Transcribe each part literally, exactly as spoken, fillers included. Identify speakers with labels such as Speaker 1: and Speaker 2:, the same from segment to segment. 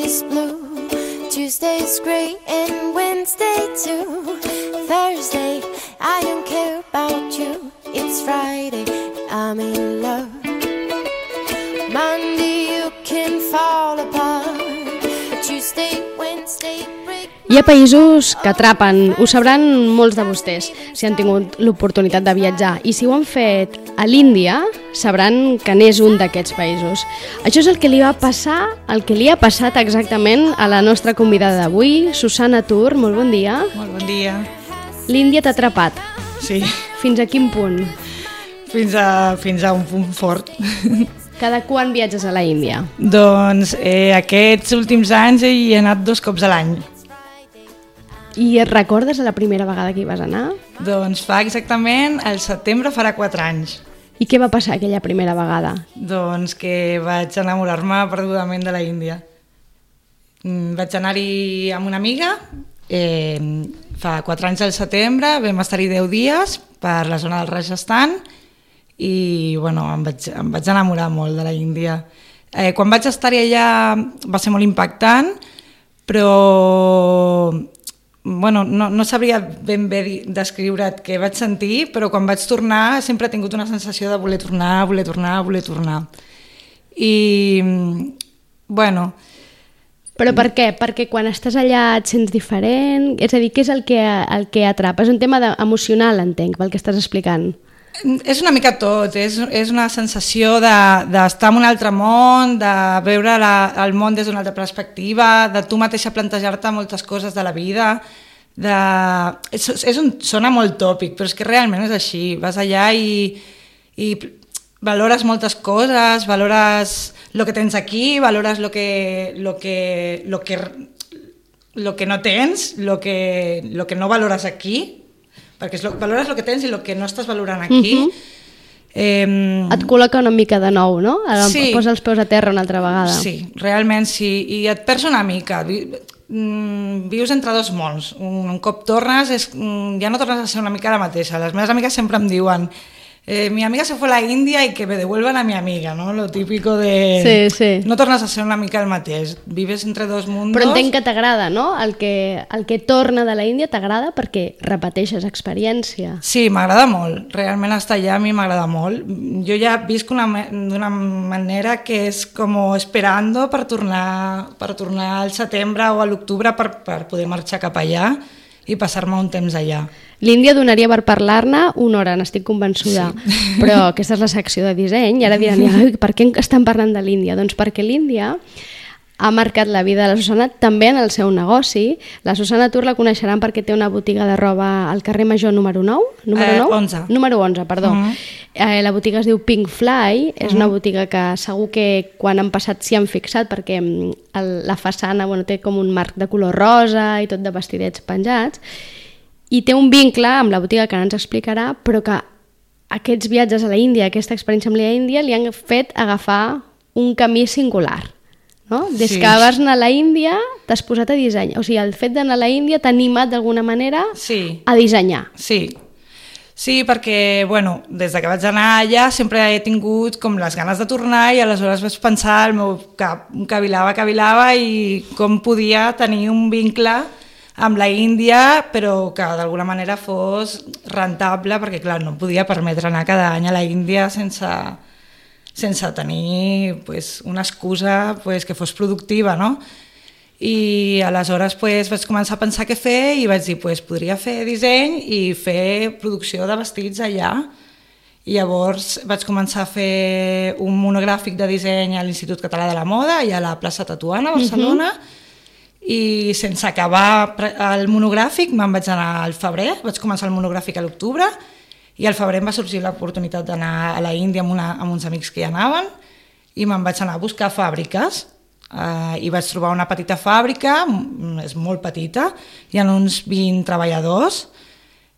Speaker 1: is blue. Tuesday's great and Wednesday too. Thursday, I don't care about you. It's Friday, I'm in love. Monday, you can fall apart. Tuesday, Wednesday, break.
Speaker 2: Hi ha països que atrapen, ho sabran molts de vostès si han tingut l'oportunitat de viatjar, i si ho han fet a l'Índia sabran que n'és un d'aquests països. Això és el que li va passar, el que li ha passat exactament a la nostra convidada d'avui, Susana Tur. Molt bon dia.
Speaker 3: Molt bon dia.
Speaker 2: L'Índia t'ha atrapat.
Speaker 3: Sí.
Speaker 2: Fins a quin punt?
Speaker 3: Fins a, fins a un punt fort.
Speaker 2: Cada quan viatges a la Índia?
Speaker 3: Doncs eh, aquests últims anys hi he anat dos cops a l'any.
Speaker 2: I et recordes la primera vegada que hi vas anar?
Speaker 3: Doncs fa exactament, al setembre farà quatre anys.
Speaker 2: I què va passar aquella primera vegada?
Speaker 3: Doncs que vaig enamorar-me perdudament de la Índia. Vaig anar-hi amb una amiga, eh, fa quatre anys al setembre, vam estar-hi deu dies per la zona del Rajasthan i bueno, em, vaig, em vaig enamorar molt de la Índia. Eh, quan vaig estar-hi allà va ser molt impactant, però bueno, no, no sabria ben bé descriure't què vaig sentir, però quan vaig tornar sempre he tingut una sensació de voler tornar, voler tornar, voler tornar. I, bueno...
Speaker 2: Però per què? Perquè quan estàs allà et sents diferent? És a dir, què és el que, el que atrapa? És un tema de, emocional, entenc, pel que estàs explicant.
Speaker 3: És una mica tot, és, és una sensació d'estar de, en un altre món, de veure la, el món des d'una altra perspectiva, de tu mateixa plantejar-te moltes coses de la vida. De, és, és un, sona molt tòpic, però és que realment és així. Vas allà i, i valores moltes coses, valores el que tens aquí, valores el que, lo que, lo que, lo que no tens, el que, lo que no valores aquí, perquè lo, valores el que tens i el que no estàs valorant aquí. Uh-huh. eh,
Speaker 2: et col·loca una mica de nou, no?
Speaker 3: Sí.
Speaker 2: Posa els peus a terra una altra vegada.
Speaker 3: Sí, realment sí, i et perds una mica. Vius entre dos mons. Un, un cop tornes, és, ja no tornes a ser una mica la mateixa. Les meves amigues sempre em diuen Eh, mi amiga se fue a la India y que me devuelvan a mi amiga, ¿no? Lo típico de...
Speaker 2: Sí, sí.
Speaker 3: No tornes a ser una mica el mateix. Vives entre dos mundos...
Speaker 2: Però entenc que t'agrada, no? El que, el que torna de la Índia t'agrada perquè repeteixes experiència.
Speaker 3: Sí, m'agrada molt. Realment estar allà a mi m'agrada molt. Jo ja visc d'una manera que és com esperando per tornar, per tornar al setembre o a l'octubre per, per poder marxar cap allà i passar-me un temps allà.
Speaker 2: L'Índia donaria per parlar-ne una hora, n'estic convençuda, sí. Però aquesta és la secció de disseny i ara diran, per què estan parlant de l'Índia? Doncs perquè l'Índia ha marcat la vida de la Susana també en el seu negoci. La Susana Tur la coneixeran perquè té una botiga de roba al carrer Major número nou? Número nou?
Speaker 3: Eh, onze.
Speaker 2: Número onze, perdó. Uh-huh. Eh, la botiga es diu Pink Fly, és uh-huh. una botiga que segur que quan han passat s'hi han fixat perquè el, la façana bueno, té com un marc de color rosa i tot de vestidets penjats, i té un vincle amb la botiga que ara ens explicarà, però que aquests viatges a la Índia, aquesta experiència amb la Índia, li han fet agafar un camí singular. No? Des sí. que vas anar a la Índia t'has posat a dissenyar, o sigui, el fet d'anar a la Índia t'ha animat d'alguna manera
Speaker 3: sí.
Speaker 2: a dissenyar.
Speaker 3: Sí, sí, perquè bueno, des de que vaig anar allà sempre he tingut com les ganes de tornar i aleshores vaig pensar, el meu cap cavilava, cavilava i com podia tenir un vincle amb la Índia, però que d'alguna manera fos rentable, perquè clar, no podia permetre anar cada any a la Índia sense... sense tenir pues, una excusa pues, que fos productiva, no? I aleshores pues, vaig començar a pensar què fer i vaig dir, pues, podria fer disseny i fer producció de vestits allà. I llavors vaig començar a fer un monogràfic de disseny a l'Institut Català de la Moda i a la plaça Tetuana, a Barcelona, uh-huh. i sense acabar el monogràfic me'n vaig anar al febrer, vaig començar el monogràfic a l'octubre, i al febrer em va sorgir l'oportunitat d'anar a la Índia amb, una, amb uns amics que hi anaven i me'n vaig anar a buscar fàbriques uh, i vaig trobar una petita fàbrica, és molt petita, hi ha uns vint treballadors,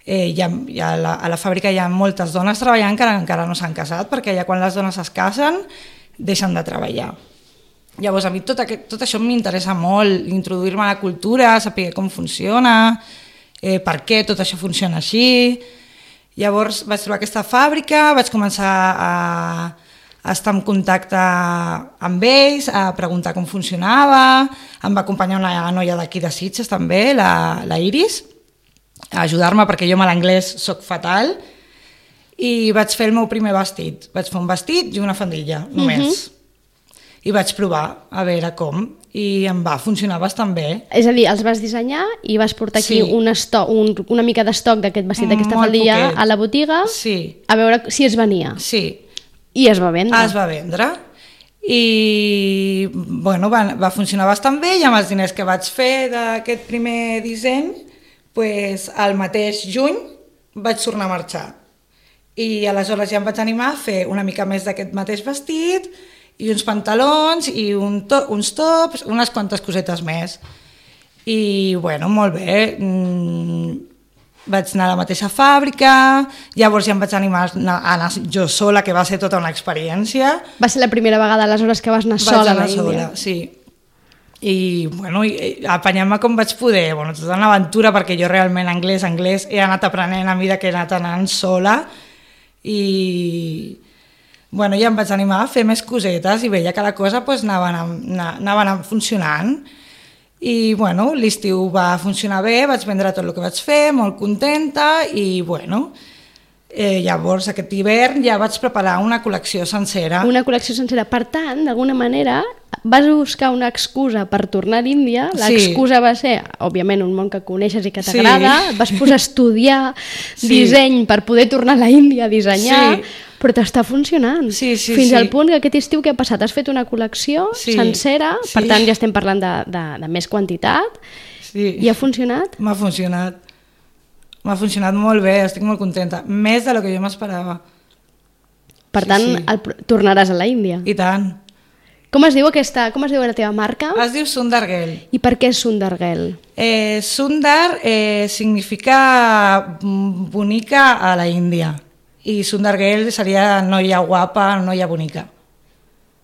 Speaker 3: eh, hi ha, hi ha la, a la fàbrica hi ha moltes dones treballant que encara no s'han casat perquè allà quan les dones es casen deixen de treballar. Llavors a mi tot, aquest, tot això m'interessa molt, introduir-me a la cultura, saber com funciona, eh, per què tot això funciona així. Llavors vaig trobar aquesta fàbrica, vaig començar a, estar en contacte amb ells, a preguntar com funcionava. Em va acompanyar una noia d'aquí de Sitges també, la, la Iris, a ajudar-me perquè jo amb l'anglès soc fatal, i vaig fer el meu primer vestit. Vaig fer un vestit i una faldilla, només. Uh-huh. I vaig provar a veure com, i em va funcionar bastant bé.
Speaker 2: És a dir, els vas dissenyar i vas portar aquí
Speaker 3: sí.
Speaker 2: un estoc, un, una mica d'estoc d'aquest vestit, d'aquesta
Speaker 3: Molt
Speaker 2: faldilla
Speaker 3: poquet.
Speaker 2: A la botiga,
Speaker 3: sí.
Speaker 2: a veure si es venia.
Speaker 3: Sí.
Speaker 2: I es va vendre.
Speaker 3: Es va vendre. I bueno, va, va funcionar bastant bé, i amb els diners que vaig fer d'aquest primer disseny, pues, el mateix juny vaig tornar a marxar. I aleshores ja em vaig animar a fer una mica més d'aquest mateix vestit, i uns pantalons, i un to uns tops, unes quantes cosetes més. I bueno, molt bé. Mm, vaig anar a la mateixa fàbrica, llavors ja em vaig animar a anar jo sola, que va ser tota una experiència.
Speaker 2: Va ser la primera vegada aleshores que vas anar
Speaker 3: vaig
Speaker 2: sola
Speaker 3: anar
Speaker 2: a l'Índia?
Speaker 3: Sola, sí. I, bueno, apanyant-me com vaig poder, bueno, tota una aventura, perquè jo realment anglès, anglès, he anat aprenent a mesura que he anat anant sola, i bueno, ja em vaig animar a fer més cosetes, i veia que la cosa pues, anava, anava, anava anant funcionant. I bueno, l'estiu va funcionar bé, vaig vendre tot el que vaig fer, molt contenta, i bueno, eh, llavors aquest hivern ja vaig preparar una col·lecció sencera.
Speaker 2: Una col·lecció sencera. Per tant, d'alguna manera, vas buscar una excusa per tornar a l'Índia. L'excusa sí. va ser, òbviament, un món que coneixes i que t'agrada, sí. vas posar a estudiar sí. disseny per poder tornar a l'Índia a dissenyar, sí. però t'està funcionant.
Speaker 3: Sí, sí,
Speaker 2: Fins
Speaker 3: sí.
Speaker 2: al punt que aquest estiu que ha passat has fet una col·lecció
Speaker 3: sí.
Speaker 2: sencera,
Speaker 3: sí.
Speaker 2: per tant ja estem parlant de, de, de més quantitat,
Speaker 3: sí.
Speaker 2: i ha funcionat?
Speaker 3: M'ha funcionat. M'ha funcionat molt bé, estic molt contenta. Més de lo que jo m'esperava.
Speaker 2: Per
Speaker 3: sí,
Speaker 2: tant,
Speaker 3: sí.
Speaker 2: El, tornaràs a la Índia.
Speaker 3: I tant.
Speaker 2: Com es diu aquesta, com es diu la teva marca?
Speaker 3: Es diu Sundar Girl.
Speaker 2: I per què Sundar Girl?
Speaker 3: Eh, Sundar eh, significa bonica a la Índia. I Sundar Girl seria noia guapa, noia bonica.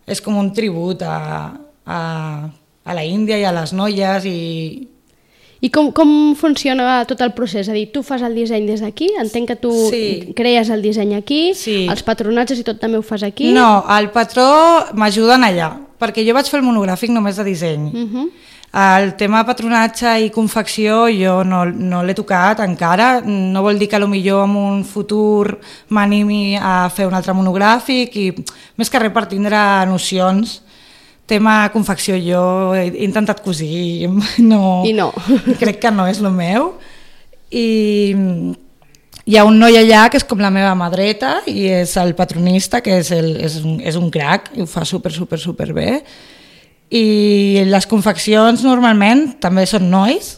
Speaker 3: És com un tribut a, a, a la Índia i a les noies. I,
Speaker 2: I com, com funciona tot el procés? És a dir, tu fas el disseny des d'aquí? Entenc que tu sí. crees el disseny aquí,
Speaker 3: sí.
Speaker 2: els patronatges i tot també ho fas aquí?
Speaker 3: No, el patró m'ajuden allà, perquè jo vaig fer el monogràfic només de disseny. Uh-huh. El tema de patronatge i confecció jo no, no l'he tocat encara, no vol dir que potser en un futur m'animi a fer un altre monogràfic, i més que res per tindre nocions. Tema confecció jo he intentat cosir, no,
Speaker 2: I no.
Speaker 3: crec que no és el meu. I hi ha un noi allà que és com la meva mà dreta i és el patronista, que és, el, és, un, és un crac, i ho fa super, super, super bé. I les confeccions normalment també són nois,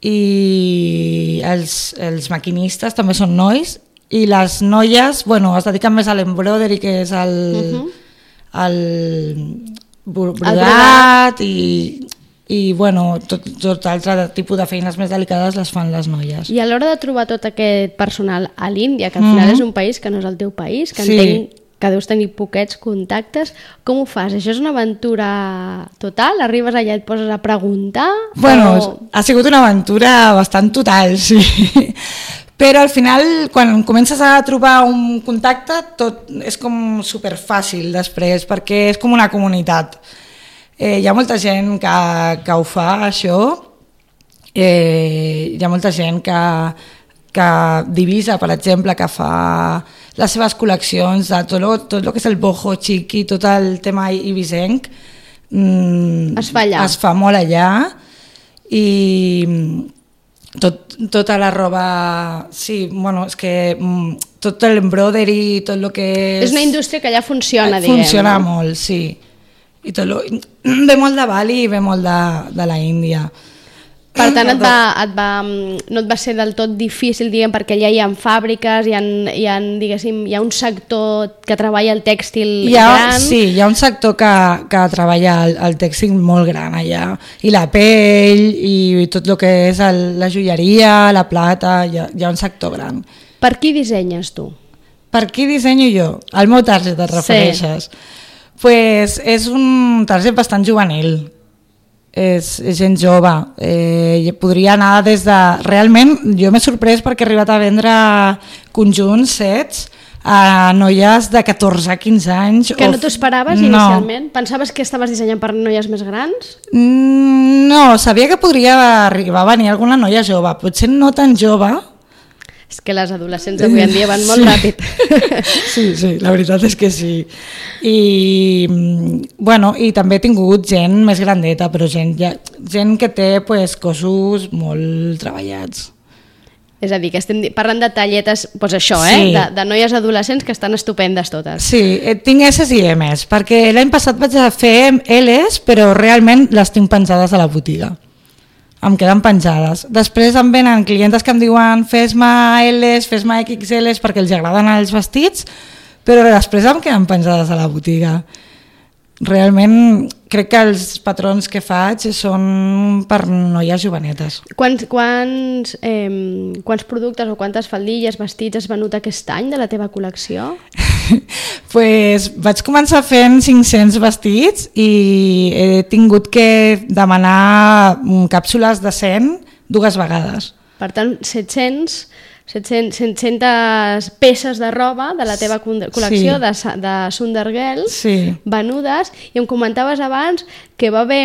Speaker 3: i els, els maquinistes també són nois, i les noies, bueno, es dediquen més a l'embroidery, que és el, uh-huh. el brodat, i, i bueno, tot, tot altre tipus de feines més delicades les fan les noies.
Speaker 2: I a l'hora de trobar tot aquest personal a l'Índia, que al final uh-huh. és un país que no és el teu país, que sí. entenc que deus tenir poquets contactes, com ho fas? Això és una aventura total? Arribes allà i et poses a preguntar?
Speaker 3: Bueno,
Speaker 2: o...
Speaker 3: ha sigut una aventura bastant total, sí. Però al final, quan comences a trobar un contacte, tot és com superfàcil després, perquè és com una comunitat. Eh, hi ha molta gent que, que ho fa, això. Eh, hi ha molta gent que... que Divisa, per exemple, que fa les seves col·leccions de tot, lo, tot el que és el boho chiqui, tot el tema ibisenc, mm,
Speaker 2: es fa allà.
Speaker 3: Es fa molt allà, i tot, tota la roba, sí, bueno, és que tot l'embroidery, tot el que és...
Speaker 2: És una indústria que allà funciona, diguem.
Speaker 3: Funciona molt, sí. I tot lo, ve molt de Bali i ve molt de, de la Índia.
Speaker 2: Per tant, et va, et va, no et va ser del tot difícil, diguem, perquè allà hi ha fàbriques, hi ha, hi ha, diguéssim, hi ha un sector que treballa el tèxtil
Speaker 3: hi ha,
Speaker 2: gran.
Speaker 3: Sí, hi ha un sector que, que treballa el, el tèxtil molt gran allà, i la pell, i tot el que és el, la joieria, la plata, hi ha, hi ha un sector gran.
Speaker 2: Per qui dissenyes tu?
Speaker 3: Per qui dissenyo jo? Al meu target et refereixes? Sí. Pues és un target bastant juvenil. És, és gent jove, eh, podria anar des de... Realment jo m'he sorprès perquè he arribat a vendre conjunts, sets, a noies de catorze a quinze anys.
Speaker 2: Que no t'ho esperaves no. inicialment? Pensaves que estaves dissenyant per noies més grans?
Speaker 3: Mm, no, sabia que podria arribar a venir alguna noia jove, potser no tan jove.
Speaker 2: És que les adolescents avui en dia van molt
Speaker 3: sí.
Speaker 2: ràpid.
Speaker 3: Sí, sí, la veritat és que sí. I, bueno, i també he tingut gent més grandeta, però gent, ja, gent que té pues, cossos molt treballats.
Speaker 2: És a dir, que estem parlant de talletes, doncs això, eh?
Speaker 3: Sí.
Speaker 2: De, de noies adolescents que estan estupendes totes.
Speaker 3: Sí, tinc S i M's, perquè l'any passat vaig a fer L's, però realment les tinc penjades a la botiga. Em queden penjades. Després em venen clientes que em diuen fes-me L's, fes-me X L's perquè els agraden els vestits, però després em queden penjades a la botiga. Realment crec que els patrons que faig són per noies jovenetes.
Speaker 2: Quants, quants, eh, quants productes o quantes faldilles, vestits has venut aquest any de la teva col·lecció?
Speaker 3: Pues vaig començar fent cinc-cents vestits i he tingut que demanar càpsules de cent dues vegades.
Speaker 2: Per tant, set-cents... set-cents, set-centes peces de roba de la teva col·lecció sí. de, de Sunder Girls
Speaker 3: sí.
Speaker 2: venudes, i em comentaves abans que va haver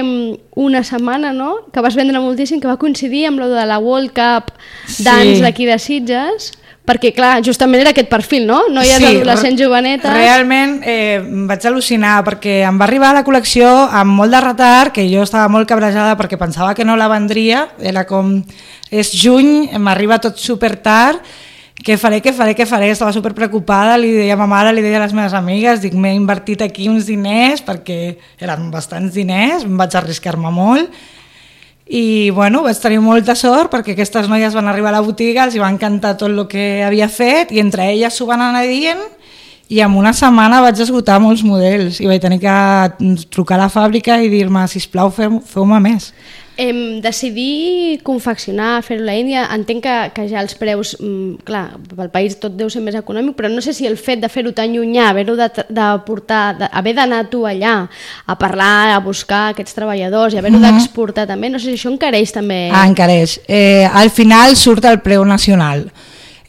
Speaker 2: una setmana, no?, que vas vendre moltíssim, que va coincidir amb lo de la World Cup Dance sí. d'aquí de Sitges, perquè clar, justament era aquest perfil, no? Noies sí, adolescents jovenetes.
Speaker 3: Realment eh, vaig al·lucinar perquè em va arribar a la col·lecció amb molt de retard, que jo estava molt cabrejada perquè pensava que no la vendria, era com és juny, m'arriba tot super tard, què faré, què faré, què faré, estava super preocupada, li deia a ma mare, li deia a les meves amigues, dic, m'he invertit aquí uns diners perquè eren bastants diners, em vaig arriscar-me molt. I bueno, vaig tenir molta sort perquè aquestes noies van arribar a la botiga, els va encantar tot el que havia fet i entre elles s'ho van anar dient i en una setmana vaig esgotar molts models i vaig tenir que trucar a la fàbrica i dir-me, sisplau, feu-me més.
Speaker 2: Em, decidir confeccionar, fer-ho a la Índia, entenc que, que ja els preus, mm, clar, pel país tot deu ser més econòmic, però no sé si el fet de fer-ho tan llunyà, haver-ho de, de portar, de, haver d'anar tu allà a parlar, a buscar aquests treballadors i haver-ho mm-hmm. d'exportar també, no sé si això encareix també...
Speaker 3: Ah, encareix. Eh, al final surt el preu nacional.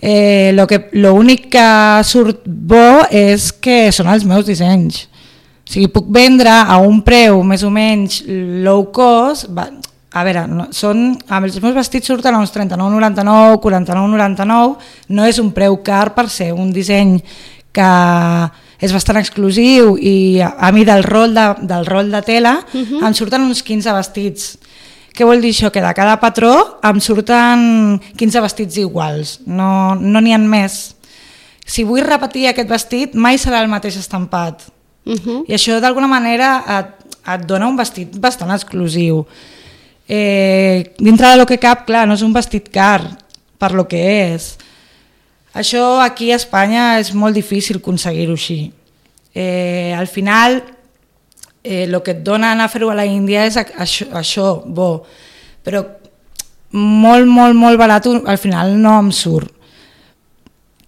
Speaker 3: Eh, lo que, lo únic que surt bo és que són els meus dissenys. O sigui, puc vendre a un preu més o menys low cost... Va, a veure, no, són, amb els meus vestits surten a uns trenta-nou noranta-nou, quaranta-nou noranta-nou, no és un preu car per ser un disseny que és bastant exclusiu i a, a mi del rol de, del rol de tela uh-huh. em surten uns quinze vestits. Què vol dir això? Que de cada patró em surten quinze vestits iguals, no n'hi ha més. Si vull repetir aquest vestit mai serà el mateix estampat uh-huh. i això d'alguna manera et, et dona un vestit bastant exclusiu. Eh, dintre de lo que cap, clar, no és un vestit car per lo que és. Això aquí a Espanya és molt difícil aconseguir-ho així. Eh, al final, eh, el que et dona anar a fer-ho a la Índia és això, això, bo, però molt, molt, molt barat al final no em surt.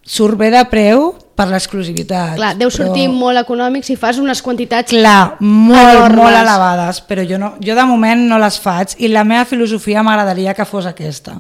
Speaker 3: Surt bé de preu per l'exclusivitat.
Speaker 2: Clar, deu sortir però... molt econòmic si fas unes quantitats
Speaker 3: Clar, molt, enormes. molt elevades, però jo, no, jo de moment no les faig i la meva filosofia m'agradaria que fos aquesta.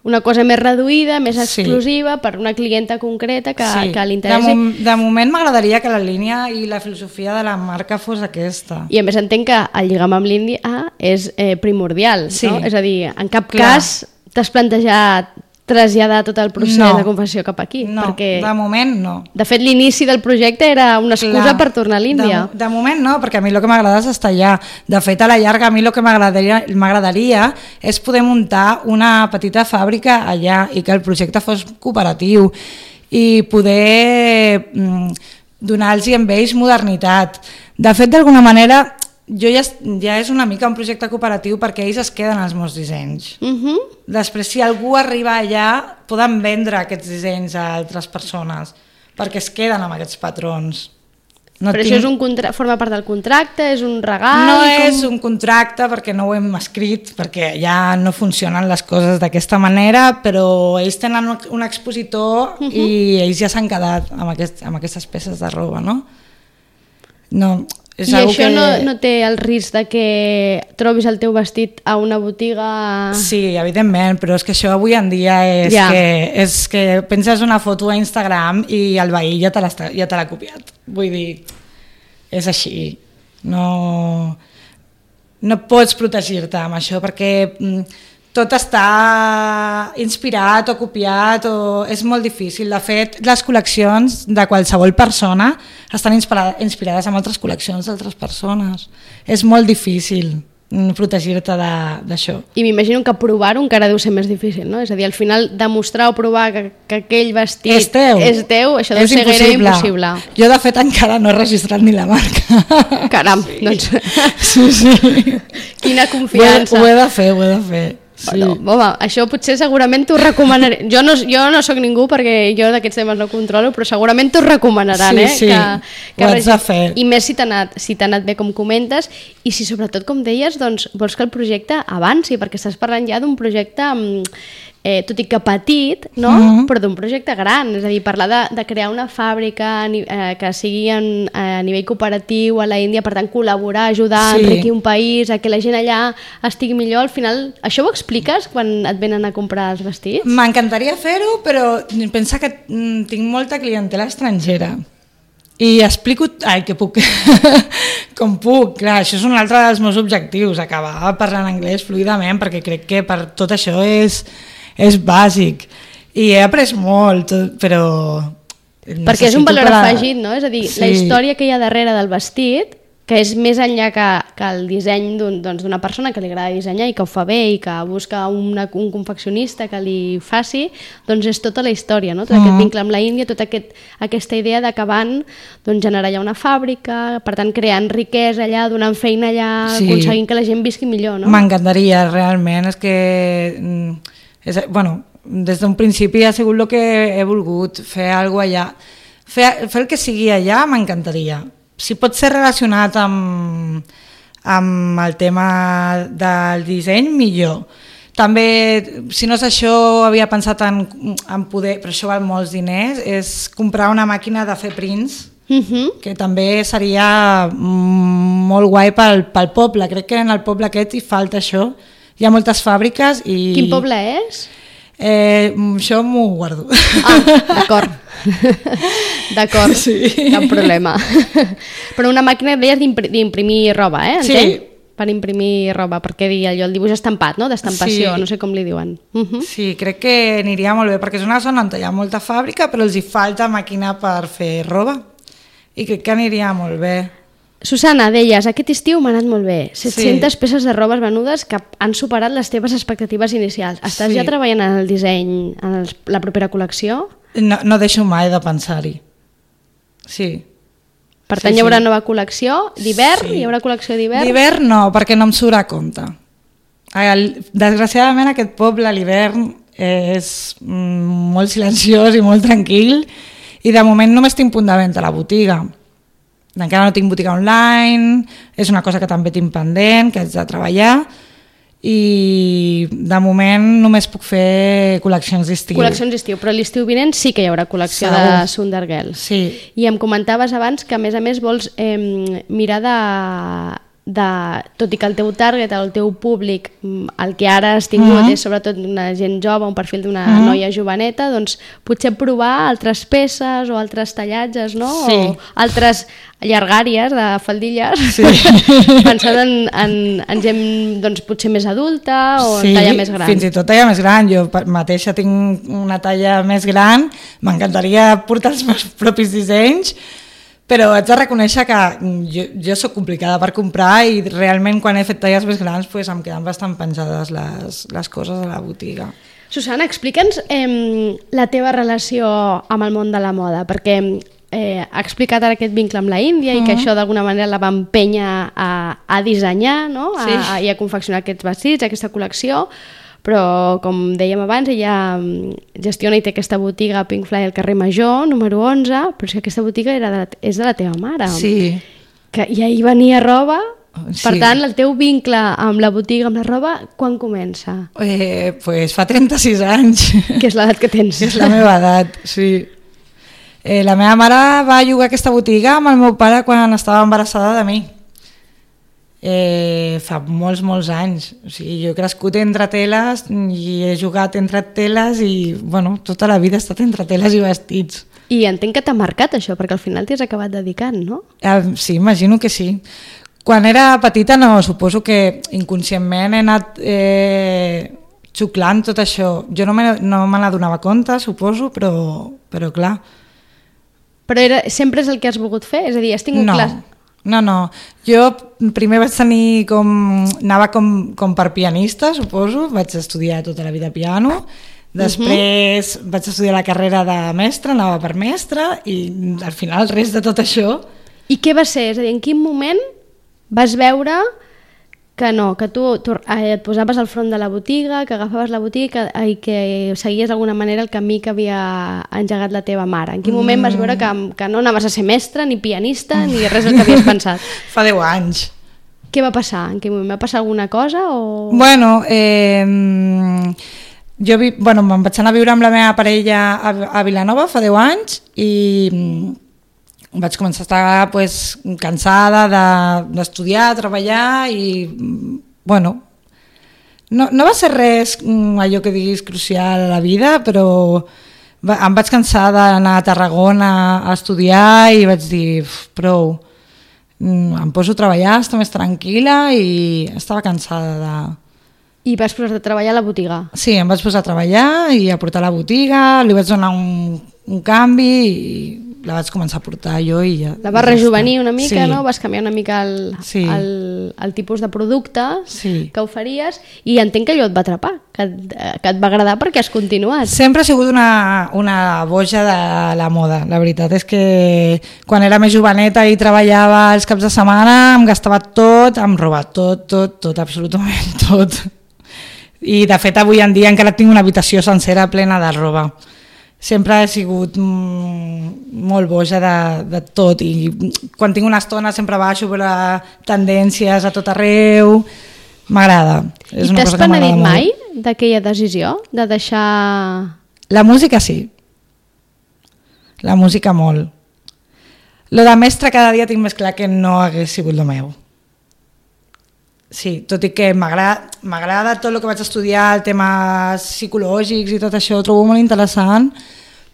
Speaker 2: Una cosa més reduïda, més exclusiva, sí. per una clienta concreta que, sí. que li interessi.
Speaker 3: De, mom de moment m'agradaria que la línia i la filosofia de la marca fos aquesta.
Speaker 2: I a més entenc que el lligam amb l'Índia és eh, primordial, sí. no? És a dir, en cap Clar. cas t'has plantejat traslladar tot el procés no, de confecció cap aquí.
Speaker 3: No,
Speaker 2: perquè,
Speaker 3: de moment no.
Speaker 2: De fet, l'inici del projecte era una excusa Clar, per tornar a l'Índia.
Speaker 3: De, de moment no, perquè a mi el que m'agrada és estar allà. De fet, a la llarga, a mi el que m'agradaria és poder muntar una petita fàbrica allà i que el projecte fos cooperatiu i poder mm, donar-los amb ells modernitat. De fet, d'alguna manera... Jo ja, ja és una mica un projecte cooperatiu perquè ells es queden als meus dissenys. Uh-huh. Després, si algú arriba allà, poden vendre aquests dissenys a altres persones perquè es queden amb aquests patrons. No
Speaker 2: Però
Speaker 3: tinc...
Speaker 2: això és un contra... forma part del contracte? És un regal?
Speaker 3: No
Speaker 2: com...
Speaker 3: és un contracte perquè no ho hem escrit, perquè ja no funcionen les coses d'aquesta manera, però ells tenen un expositor uh-huh. i ells ja s'han quedat amb, aquest, amb aquestes peces de roba, no? No, És
Speaker 2: I això
Speaker 3: que...
Speaker 2: no, no té el risc de que trobis el teu vestit a una botiga...
Speaker 3: Sí, evidentment, però és que això avui en dia és,
Speaker 2: ja.
Speaker 3: que, és que penses una foto a Instagram i el veí ja te l'ha ja te l'ha copiat. Vull dir, és així. No, no pots protegir-te amb això perquè tot està inspirat o copiat o és molt difícil. De fet, les col·leccions de qualsevol persona estan inspirades en altres col·leccions d'altres persones. És molt difícil protegir-te d'això.
Speaker 2: I m'imagino que provar-ho encara deu ser més difícil, no? És a dir, al final demostrar o provar que, que aquell vestit
Speaker 3: és teu,
Speaker 2: és teu això deu
Speaker 3: és
Speaker 2: ser gairebé impossible.
Speaker 3: Jo, de fet, encara no he registrat ni la marca.
Speaker 2: Caram,
Speaker 3: sí.
Speaker 2: doncs...
Speaker 3: Sí, sí.
Speaker 2: Quina confiança.
Speaker 3: Ho he, ho he de fer, ho he de fer. Sí.
Speaker 2: No, home, això potser segurament t'ho recomanaré. Jo no, jo no sóc ningú perquè jo d'aquests temes no controlo, però segurament t'ho recomanaran,
Speaker 3: sí,
Speaker 2: eh?
Speaker 3: Sí,
Speaker 2: que, que
Speaker 3: ho has de fer.
Speaker 2: I més si t'ha anat, si t'ha anat bé com comentes i si sobretot, com deies, doncs, vols que el projecte avanci, perquè estàs parlant ja d'un projecte... Eh, tot i que petit, no? Mm-hmm. Però d'un projecte gran, és a dir, parlar de, de crear una fàbrica eh, que sigui en, a nivell cooperatiu a la Índia, per tant col·laborar, ajudar sí. a enriquir un país, a que la gent allà estigui millor, al final, això ho expliques quan et venen a comprar els vestits?
Speaker 3: M'encantaria fer-ho, però pensa que mm, tinc molta clientela estrangera i explico ai, que puc com puc, clar, això és un altre dels meus objectius, acabar parlant anglès fluidament, perquè crec que per tot això és és bàsic i he après molt, però
Speaker 2: perquè és un valor per... afegit, no? És a dir, sí. La història que hi ha darrere del vestit, que és més enllà que, que el disseny d'una un, doncs, persona que li agrada dissenyar i que ho fa bé i que busca una, un confeccionista que li faci, doncs és tota la història, no? Tot mm. aquest vincle amb la Índia, tota aquest, aquesta idea d'acabant doncs, generar allà una fàbrica, per tant creant riquesa allà, donant feina allà, sí. Aconseguint que la gent visqui millor, no?
Speaker 3: M'encantaria, realment, és que... És, bueno, des d'un principi ha sigut el que he volgut, fer alguna cosa allà. Fer, fer el que sigui allà m'encantaria. Si pot ser relacionat amb, amb el tema del disseny, millor. També, si no és això, havia pensat en, en poder, però això val molts diners, és comprar una màquina de fer prints, uh-huh. que també seria molt guai pel, pel poble. Crec que en el poble aquest hi falta això. Hi ha moltes fàbriques i...
Speaker 2: Quin poble és?
Speaker 3: Eh, això m'ho guardo.
Speaker 2: Ah, d'acord. D'acord, sí. Cap problema. Però una màquina, deies, d'imprimir roba, eh? Entenc? Sí. Per imprimir roba, perquè diria allò, el dibuix estampat, no? D'estampació, sí. No sé com li diuen. Uh-huh.
Speaker 3: Sí, crec que aniria molt bé, perquè és una zona on hi ha molta fàbrica, però els hi falta màquina per fer roba. I crec que aniria molt bé.
Speaker 2: Susana, deies, aquest estiu m'ha anat molt bé. set-centes sí. Peces de robes venudes que han superat les teves expectatives inicials. Estàs sí. ja treballant en el disseny, en el, la propera col·lecció?
Speaker 3: No, no deixo mai de pensar-hi. Sí.
Speaker 2: Per tant, sí, hi haurà sí. Nova col·lecció d'hivern? Sí. Hi haurà col·lecció d'hivern?
Speaker 3: D'hivern no, perquè no em surt a compte. El, desgraciadament aquest poble a l'hivern és mm, molt silenciós i molt tranquil i de moment només tinc punt de venda a la botiga. Encara no tinc botiga online, és una cosa que també tinc pendent, que haig de treballar i de moment només puc fer col·leccions d'estiu.
Speaker 2: Col·leccions d'estiu, però l'estiu vinent sí que hi haurà col·lecció Segur. De Sundergirl.
Speaker 3: Sí.
Speaker 2: I em comentaves abans que a més a més vols eh, mirar de... de, tot i que el teu target, el teu públic, el que ara has tingut uh-huh. és sobretot una gent jove, un perfil d'una uh-huh. noia joveneta, doncs potser provar altres peces o altres tallatges, no?
Speaker 3: Sí.
Speaker 2: O altres llargàries de faldilles, sí. pensant en, en, en gent doncs, potser més adulta o sí, en talla més gran.
Speaker 3: Fins i tot talla més gran. Jo mateixa tinc una talla més gran, m'encantaria portar els meus propis dissenys, però haig de reconèixer que jo, jo soc complicada per comprar i realment quan he fet talles més grans pues, em queden bastant penjades les, les coses a la botiga.
Speaker 2: Susana, explica'ns eh, la teva relació amb el món de la moda, perquè eh, ha explicat ara aquest vincle amb la Índia uh-huh. i que això d'alguna manera la va empènyer a, a dissenyar, no? a, sí. a, i a confeccionar aquests vestits, aquesta col·lecció, però com dèiem abans ella gestiona i té aquesta botiga Pink Fly al carrer Major, número onze, però és que aquesta botiga era de la, és de la teva mare,
Speaker 3: sí.
Speaker 2: que, i ahir venia roba, sí. Per tant el teu vincle amb la botiga, amb la roba, quan comença?
Speaker 3: Eh, pues fa trenta-sis anys.
Speaker 2: Que és l'edat que tens.
Speaker 3: És la meva edat, sí. Eh, la meva mare va llogar aquesta botiga amb el meu pare quan estava embarassada de mi. Eh, fa molts, molts anys. O sigui, jo he crescut entre teles i he jugat entre teles i, bueno, tota la vida he estat entre teles i vestits.
Speaker 2: I entenc que t'ha marcat això, perquè al final t'hi has acabat dedicant, no?
Speaker 3: Eh, sí, imagino que sí. Quan era petita, no, suposo que inconscientment he anat eh, xuclant tot això. Jo no me, no me n'adonava compte, suposo, però, però clar...
Speaker 2: Però era, sempre és el que has volgut fer? És a dir, has tingut
Speaker 3: no,
Speaker 2: clars...
Speaker 3: No, no. Jo primer vaig tenir com... Anava com, com per pianista, suposo. Vaig estudiar tota la vida piano. Després uh-huh. vaig estudiar la carrera de mestre, anava per mestre, i al final res de tot això...
Speaker 2: I què va ser? És a dir, en quin moment vas veure que no, que tu, tu eh, et posaves al front de la botiga, que agafaves la botiga i que seguies d'alguna manera el camí que havia engegat la teva mare? En quin moment vas veure que, que no anaves a ser mestre, ni pianista, ni res del que havies pensat?
Speaker 3: Fa deu anys.
Speaker 2: Què va passar? En quin moment va passar alguna cosa? O...
Speaker 3: Bueno, eh, jo vi, bueno, me'n vaig anar a viure amb la meva parella a, a Vilanova fa deu anys i vaig començar a estar pues, cansada d'estudiar, de, treballar i, bueno, no, no va ser res allò que diguis crucial a la vida, però va, em vaig cansar d'anar a Tarragona a estudiar i vaig dir, prou, em poso a treballar, estar més tranquil·la i estava cansada de...
Speaker 2: I vas posar a treballar a la botiga?
Speaker 3: Sí, em vaig posar a treballar i a portar la botiga, li vaig donar un, un canvi i la vaig començar a portar jo i ja...
Speaker 2: La vas rejuvenir una mica,
Speaker 3: sí.
Speaker 2: no? Vas canviar una mica el,
Speaker 3: sí.
Speaker 2: el, el tipus de producte
Speaker 3: sí.
Speaker 2: que oferíes i entenc que allò et va atrapar, que, que et va agradar perquè has continuat.
Speaker 3: Sempre ha sigut una, una boja de la moda. La veritat és que quan era més joveneta i treballava els caps de setmana em gastava tot, em roba tot, tot, tot, absolutament tot. I de fet avui en dia encara tinc una habitació sencera plena de roba. Sempre he sigut mm, molt boja de, de tot i quan tinc una estona sempre baixo per tendències a tot arreu, m'agrada.
Speaker 2: I t'has penedit mai d'aquella decisió de deixar...
Speaker 3: La música sí, la música molt. Lo de mestre cada dia tinc més clar que no hagués sigut el meu. Sí, tot i que m'agrada tot el que vaig estudiar, el temes psicològics i tot això, ho trobo molt interessant,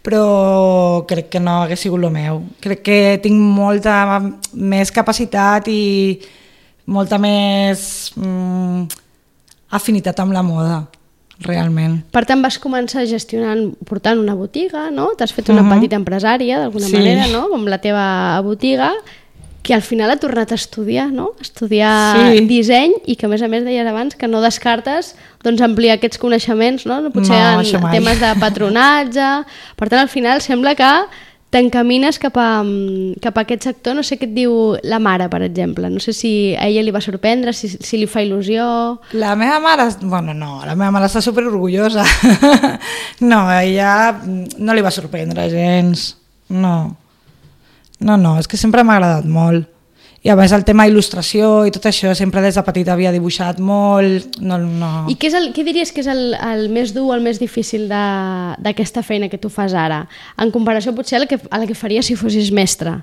Speaker 3: però crec que no hagués sigut el meu. Crec que tinc molta més capacitat i molta més mm, afinitat amb la moda, realment.
Speaker 2: Per tant, vas començar gestionant, portant una botiga, no? T'has fet una uh-huh. petita empresària, d'alguna sí. manera, no? Com la teva botiga, que al final ha tornat a estudiar, no? Estudiar sí. disseny i que a més a més deies abans que no descartes doncs, ampliar aquests coneixements, no? Potser
Speaker 3: no,
Speaker 2: en temes de patronatge. Per tant, al final sembla que t'encamines cap, a, cap a aquest sector. No sé què et diu la mare, per exemple. No sé si a ella li va sorprendre, si, si li fa il·lusió...
Speaker 3: La meva mare... Bueno, no, la meva mare està superorgullosa. No, a ella no li va sorprendre gens. No. No, no, és que sempre m'ha agradat molt. I a més el tema il·lustració i tot això, sempre des de petita havia dibuixat molt. No, no.
Speaker 2: I què, és el, què diries que és el, el més dur o el més difícil d'aquesta feina que tu fas ara? En comparació potser a la que, a la que faries si fossis mestre.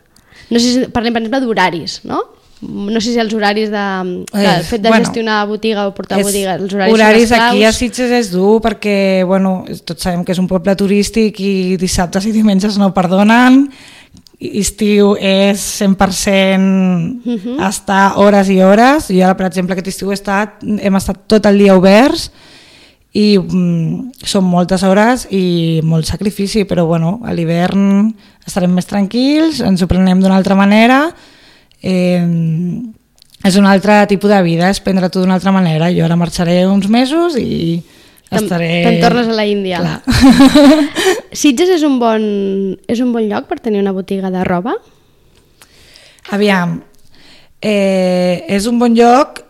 Speaker 2: No sé si parlem, per exemple, d'horaris, no? No sé si els horaris de, de el fet de bueno, gestionar botiga o portar és, botiga, els horaris,
Speaker 3: horaris aquí a Sitges és dur perquè, bueno, tots sabem que és un poble turístic i dissabtes i diumenges no perdonen. Estiu és cent per cent uh-huh. estar hores i hores. Jo ara, per exemple, aquest estiu he estat, hem estat tot el dia oberts i mm, són moltes hores i molt sacrifici, però bueno, a l'hivern estarem més tranquils, ens ho prenem d'una altra manera, eh, és un altre tipus de vida, és prendre-t'ho d'una altra manera. Jo ara marxaré uns mesos i estaré...
Speaker 2: Te'n tornes a la Índia. Sitges és un, bon, és un bon lloc per tenir una botiga de roba?
Speaker 3: Aviam, eh, és un bon lloc...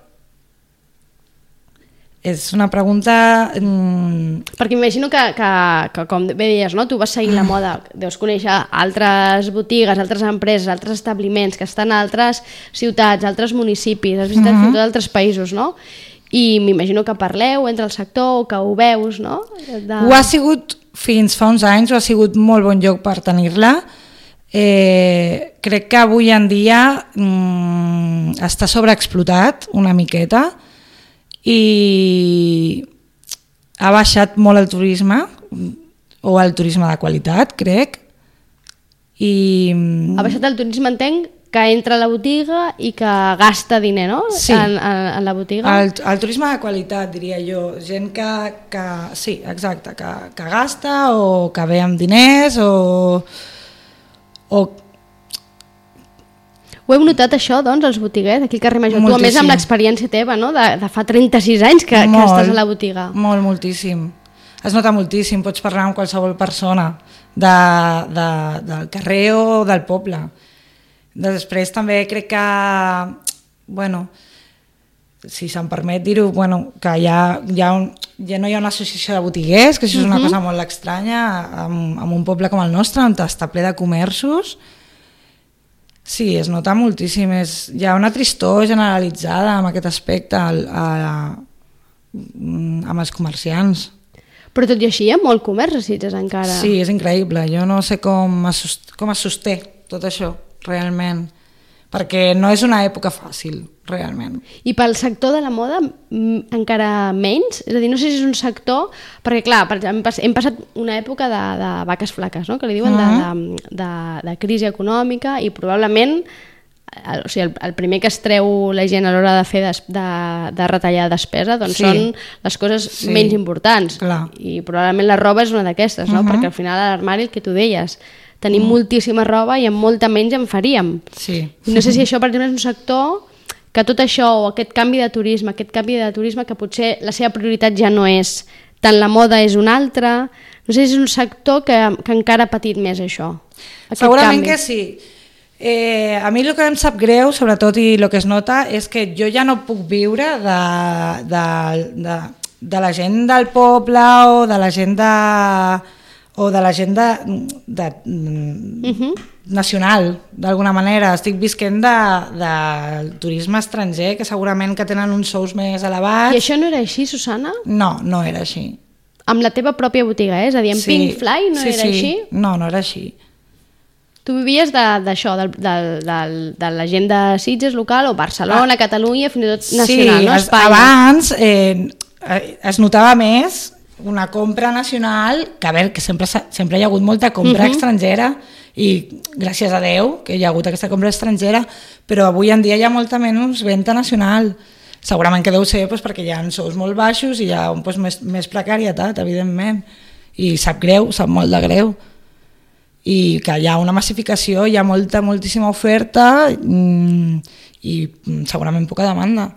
Speaker 3: És una pregunta... Mm...
Speaker 2: Perquè m'imagino que, que, que, com bé deies, no? Tu vas seguir la moda, deus conèixer altres botigues, altres empreses, altres establiments que estan a altres ciutats, altres municipis, has visitat uh-huh. fins i tot altres països, no? I m'imagino que parleu entre el sector o que ho veus, no? De...
Speaker 3: Ho ha sigut fins fa uns anys, ho ha sigut molt bon lloc per tenir-la, eh, crec que avui en dia mm, està sobreexplotat una miqueta i ha baixat molt el turisme, o el turisme de qualitat, crec. I...
Speaker 2: Ha baixat el turisme, entenc, que entra a la botiga i que gasta diner, no?
Speaker 3: Sí.
Speaker 2: En, en, en la botiga.
Speaker 3: El, el turisme de qualitat, diria jo. Gent que, que sí, exacte, que, que gasta o que ve amb diners o... o
Speaker 2: Ho hem notat això, doncs, els botiguers, aquí al carrer Major.
Speaker 3: Moltíssim.
Speaker 2: Tu, a més, amb l'experiència teva, no?, de, de fa trenta-sis anys que, que estàs a la botiga.
Speaker 3: Molt, moltíssim. Es nota moltíssim, pots parlar amb qualsevol persona de, de, del carrer o del poble. Després també crec que, bueno, si se'm permet dir-ho, bueno, que hi ha, hi ha un, ja no hi ha una associació de botiguers, que això és una uh-huh. cosa molt estranya, amb, amb un poble com el nostre, on està ple de comerços. Sí, es nota moltíssim. És, hi ha una tristor generalitzada amb aquest aspecte al, a, amb els comerciants.
Speaker 2: Però tot i així hi ha molt comerç a Sitges encara.
Speaker 3: Sí, és increïble. Jo no sé com es, com es sosté tot això, realment. Perquè no és una època fàcil, realment. I
Speaker 2: pel sector de la moda encara menys? És a dir, no sé si és un sector... Perquè, clar, per exemple, hem passat una època de, de vaques flaques, no?, que li diuen, uh-huh. de, de, de, de crisi econòmica, i probablement el, o sigui, el, el primer que es treu la gent a l'hora de fer des, de, de retallar despesa doncs sí. són les coses sí. menys importants.
Speaker 3: Clar.
Speaker 2: I probablement la roba és una d'aquestes, no? Uh-huh. Perquè al final a l'armari, el que tu deies, tenim mm. moltíssima roba i amb molta menys en faríem.
Speaker 3: Sí.
Speaker 2: I no sé si això, per exemple, és un sector que tot això, o aquest canvi de turisme, aquest canvi de turisme que potser la seva prioritat ja no és tant la moda, és una altra, no sé si és un sector que, que encara ha patit més això.
Speaker 3: Segurament canvi. Que sí. Eh, a mi el que em sap greu, sobretot, i el que es nota, és que jo ja no puc viure de, de, de, de la gent del poble o de la gent de... o de la gent de, de, uh-huh. nacional, d'alguna manera. Estic visquent del de, de turisme estranger, que segurament que tenen uns sous més elevats.
Speaker 2: I això no era així, Susana?
Speaker 3: No, no era així.
Speaker 2: Amb la teva pròpia botiga, eh? És a dir, amb sí. Pink Fly no
Speaker 3: sí,
Speaker 2: era
Speaker 3: sí.
Speaker 2: així?
Speaker 3: No, no era així.
Speaker 2: Tu vivies d'això, de, de, de, de, de la gent de Sitges local, o Barcelona, ah. Catalunya, fins i tot nacional,
Speaker 3: sí,
Speaker 2: no? Espanya.
Speaker 3: Abans eh, es notava més una compra nacional, que a veure, que sempre, sempre hi ha hagut molta compra uh-huh. estrangera, i gràcies a Déu que hi ha hagut aquesta compra estrangera, però avui en dia hi ha molta menys venda nacional. Segurament que deu ser doncs, perquè hi ha sous molt baixos i hi ha doncs, més, més precarietat, evidentment, i sap greu, sap molt de greu, i que hi ha una massificació, hi ha molta, moltíssima oferta i segurament poca demanda.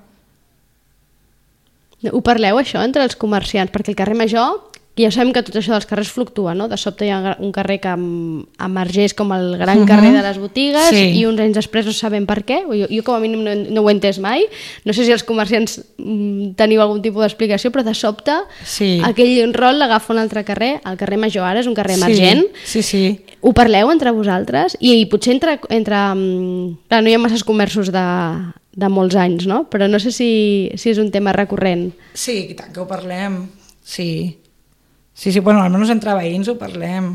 Speaker 2: Ho parleu, això, entre els comerciants? Perquè el carrer Major, ja sabem que tot això dels carrers fluctua, no? De sobte hi ha un carrer que emergeix com el gran uh-huh. carrer de les botigues sí. i uns anys després no sabem per què. Jo, jo com a mínim no, no ho he entès mai. No sé si els comerciants mm, teniu algun tipus d'explicació, però de sobte sí. aquell rol l'agafa un altre carrer. El carrer Major ara és un carrer emergent.
Speaker 3: Sí, sí, sí.
Speaker 2: Ho parleu entre vosaltres? I, i potser entre... entre clar, no hi ha masses comerços de... de molts anys, no? Però no sé si, si és un tema recurrent.
Speaker 3: Sí, i tant que ho parlem, sí. Sí, sí, bueno, almenys entre veïns ho parlem,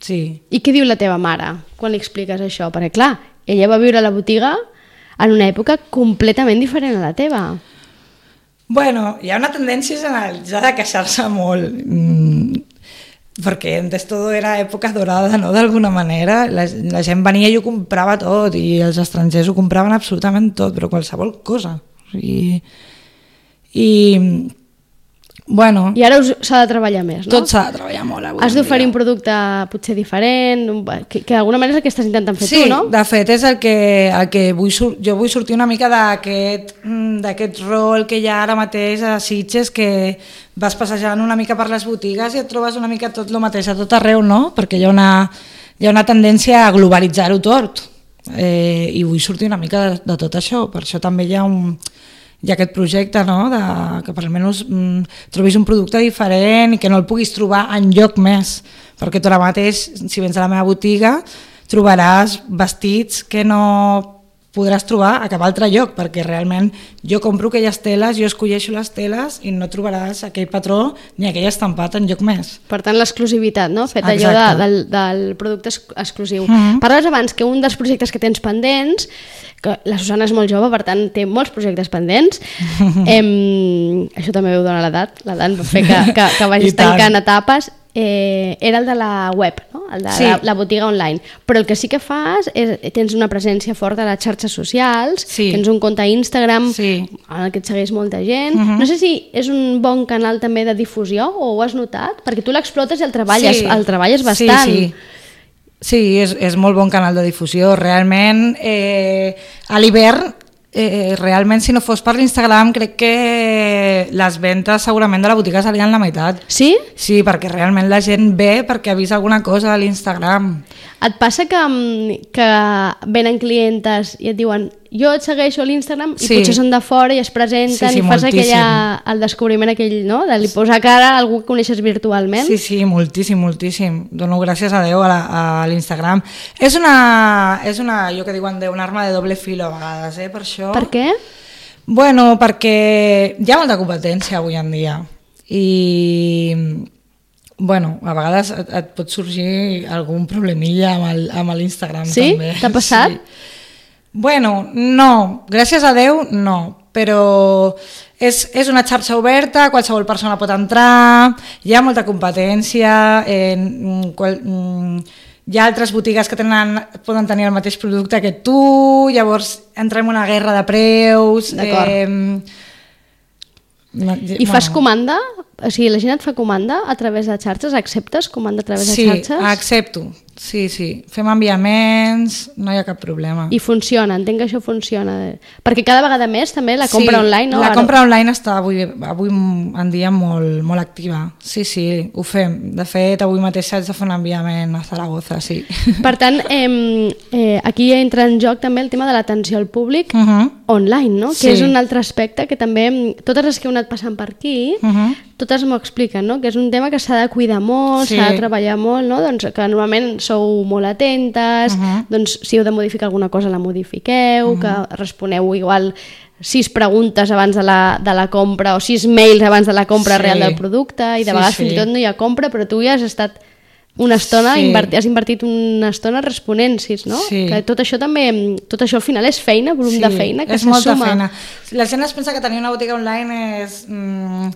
Speaker 3: sí.
Speaker 2: I què diu la teva mare quan li expliques això? Perquè, clar, ella va viure a la botiga en una època completament diferent a la teva.
Speaker 3: Bueno, hi ha una tendència generalitzada a queixar-se molt, mm, perquè antes todo era època dorada, no?, d'alguna manera. La, la gent venia i ho comprava tot, i els estrangers ho compraven absolutament tot, però qualsevol cosa. I, i bueno...
Speaker 2: I ara s'ha de treballar més, no?
Speaker 3: Tot s'ha de treballar molt avui.
Speaker 2: Has d'oferir un producte potser diferent, que, que d'alguna manera és el que estàs intentant fer
Speaker 3: sí,
Speaker 2: tu, no?
Speaker 3: Sí, de fet és el que, el que vull, jo vull sortir una mica d'aquest d'aquest rol que hi ha ara mateix a Sitges, que vas passejant una mica per les botigues i et trobes una mica tot el mateix a tot arreu, no? Perquè hi ha una, hi ha una tendència a globalitzar-ho tot, eh, i vull sortir una mica de, de tot això. Per això també hi ha un... hi ha aquest projecte, no?, de, que per almenys mm, trobis un producte diferent i que no el puguis trobar enlloc més, perquè tu ara mateix, si vens a la meva botiga, trobaràs vestits que no podràs trobar a cap altre lloc, perquè realment jo compro aquelles teles, jo escolleixo les teles i no trobaràs aquell patró ni aquell estampat en lloc més.
Speaker 2: Per tant, l'exclusivitat, no? Fet allò de, del, del producte exclusiu. Mm-hmm. Parles abans que un dels projectes que tens pendents, que la Susana és molt jove, per tant té molts projectes pendents, em, això també ho dona l'edat, l'edat va fer que, que, que vagis tancant etapes. Eh, era el de la web, no? El de sí. la, la botiga online, però el que sí que fas és, tens una presència forta a les xarxes socials, sí. tens un compte a Instagram sí. en el que et segueix molta gent, uh-huh. no sé si és un bon canal també de difusió o ho has notat, perquè tu l'explotes i el treballes, sí. el treballes bastant.
Speaker 3: Sí, sí. sí és, és molt bon canal de difusió, realment eh, a l'hivern Eh, realment si no fos per l'Instagram crec que les ventes segurament de la botiga serien la meitat.
Speaker 2: Sí?
Speaker 3: Sí, perquè realment la gent ve perquè ha vist alguna cosa a l'Instagram.
Speaker 2: Et passa que, que venen clientes i et diuen jo et segueixo a l'Instagram i sí. potser són de fora i es presenten sí, sí, i fas aquella, el descobriment aquell, no? De li posar cara a algú que coneixes virtualment.
Speaker 3: Sí, sí, moltíssim, moltíssim. Dono gràcies a Déu a, la, a l'Instagram. És una, és una, jo que diuen, un arma de doble filo a vegades, eh, per això.
Speaker 2: Per què?
Speaker 3: Bueno, perquè hi ha molta competència avui en dia i... Bueno, a vegades et, et pot sorgir algun problemilla amb, el, amb l'Instagram
Speaker 2: sí?
Speaker 3: també.
Speaker 2: Sí? T'ha passat?
Speaker 3: Sí. Bueno, no, gràcies a Déu no, però és, és una xarxa oberta, qualsevol persona pot entrar, hi ha molta competència, eh, qual, hi ha altres botigues que tenen, poden tenir el mateix producte que tu, llavors entrem en una guerra de preus.
Speaker 2: D'acord.
Speaker 3: Eh,
Speaker 2: No, I fas bueno. comanda? O sigui, la gent et fa comanda a través de xarxes? Acceptes comanda a través
Speaker 3: sí,
Speaker 2: de xarxes?
Speaker 3: Sí, accepto. Sí, sí. Fem enviaments, no hi ha cap problema.
Speaker 2: I funciona, entenc que això funciona. Perquè cada vegada més també la compra
Speaker 3: sí,
Speaker 2: online, no?
Speaker 3: la compra online està avui, avui en dia molt, molt activa. Sí, sí, ho fem. De fet, avui mateix haig de fer un enviament a Zaragoza, sí.
Speaker 2: Per tant, eh, eh, aquí entra en joc també el tema de l'atenció al públic uh-huh. online, no? Que sí. És un altre aspecte que també, totes les que heu anat passant per aquí, uh-huh. totes m'ho expliquen, no? Que és un tema que s'ha de cuidar molt, sí. s'ha de treballar molt, no? Doncs que normalment sou molt atentes, uh-huh. doncs si heu de modificar alguna cosa la modifiqueu, uh-huh. que responeu igual sis preguntes abans de la, de la compra o sis mails abans de la compra sí. real del producte i de sí, vegades sí. fins i tot no hi ha compra, però tu ja has estat una estona, sí. invertit, has invertit una estona responent, no? Sí. Que tot això també, tot això al final és feina, volum sí, de feina que
Speaker 3: és
Speaker 2: se
Speaker 3: molta
Speaker 2: suma.
Speaker 3: Feina. La gent es pensa que tenir una botiga online és... Mm,